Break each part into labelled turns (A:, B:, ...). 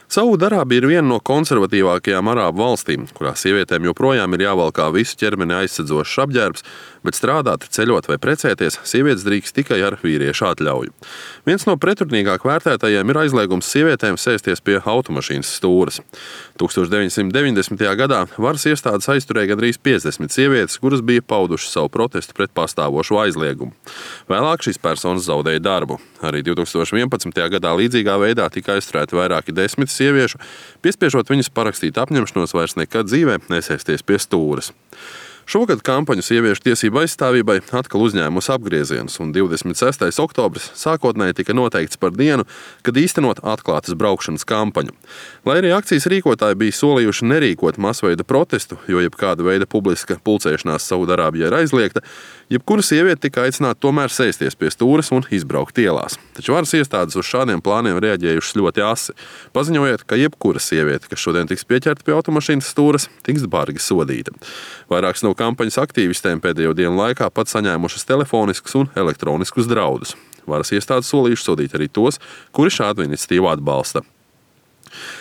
A: Saūdarābija ir viena no konservatīvākajām arābu valstīm, kurā sievietēm joprojām ir jāvalkā visu ķermeni aizsedzošs apģērbs, bet strādāt, ceļot vai precēties sievietes drīkst tikai ar vīriešu atļauju. Viens no pretrunīgāk vērtētajiem ir aizliegums sievietēm sēsties pie automašīnas stūres. 1990. gadā varas iestādes aizturēja gandrīz 50 sievietes, kuras bija paudušas savu protestu pret pastāvošo aizliegumu. Vēlāk šīs personas zaudēja darbu. Arī 2011. gadā līdzīgā veidā tika aizturēti vairāki desmit sieviešu, piespiežot viņas parakstīt apņemšanos vairs nekad dzīvē nesēsties pie stūres. Šogad kampaņu sieviešu tiesību aizstāvībai atkal uzņēmusi apgriezienus, un 26. oktobris sākotnēji tika noteikts par dienu, kad īstenot atklātas braukšanas kampaņu. Lai arī akcijas rīkotāji bija solījuši nerīkot masveida protestu, jo jebkāda veida publiska pulcēšanās Saūdarābijā ir aizliegta, jebkura sieviete tika aicināta tomēr sēsties pie stūres un izbraukt ielās. Taču varas iestādes uz šādiem plāniem reaģējušas ļoti asi, paziņojot, ka jebkura sieviete, kas šodien tiks pieķerta pie automašīnas stūres, tiks bargi sodīta. Vairākas no kampaņas aktīvistēm pēdējo dienu laikā pat saņēmušas telefoniskus un elektroniskus draudus. Varas iestādes solījušas sodīt arī tos, kuri šādu iniciatīvu atbalsta.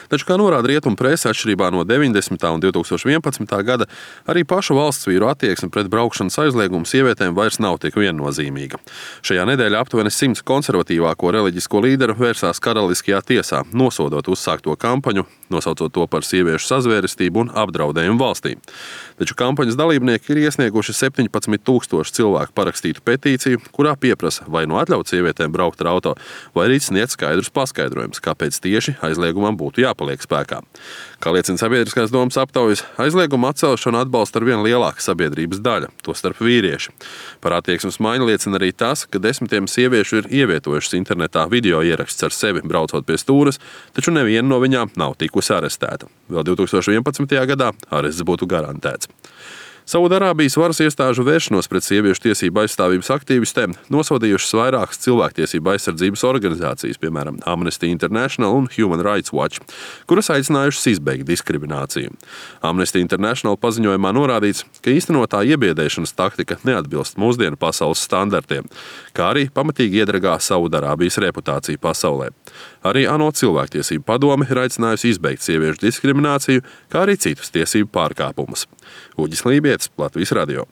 A: Taču, kā norāda rietumu prese, atšķirībā no 90. un 2011. gada, arī pašu valsts vīru attieksme pret braukšanas aizliegumu sievietēm vairs nav tik viennozīmīga. Šajā nedēļā aptuveni 100 konservatīvāko reliģisko līderu vērsās karaliskajā tiesā, nosodot uzsākto kampaņu, nosaucot to par sieviešu sazvērestību un apdraudējumu valstī. Taču kampaņas dalībnieki ir iesnieguši 17,000 cilvēku parakstītu petīciju, kurā pieprasa vai nu atļaut sievietēm braukt ar auto, vai arī sniegt skaidrus paskaidrojumus, kāpēc tieši aizliegumam būtu jāpaliek spēkā. Kā liecina sabiedriskās domas aptaujas, aizlieguma atcelšanu atbalsta arvien lielāka sabiedrības daļa, tostarp vīrieši. Par attieksmes maiņu liecina arī tas, ka desmitiem sieviešu ir ievietojušas internetā video ieraksts ar sevi braucot pie stūres, taču neviena no viņām nav tikusi arestēta. Vēl 2011. gadā arests būtu garantēts. Saūdarābijas varas iestāžu vēršanos pret sieviešu tiesību aizstāvības aktīvistēm nosodījušas vairākas cilvēktiesību aizsardzības organizācijas, piemēram, Amnesty International un Human Rights Watch, kuras aicinājušas izbeigt diskrimināciju. Amnesty International paziņojumā norādīts, ka īstenotā iebiedēšanas taktika neatbilst mūsdienu pasaules standartiem, kā arī pamatīgi iedragā Saūdarābijas reputāciju pasaulē. Arī ANO cilvēktiesību padome ir aicinājusi izbeigt sieviešu diskrimināciju, kā arī citus tiesību pārkāpumus. Uģis Lībietis, Latvijas radio.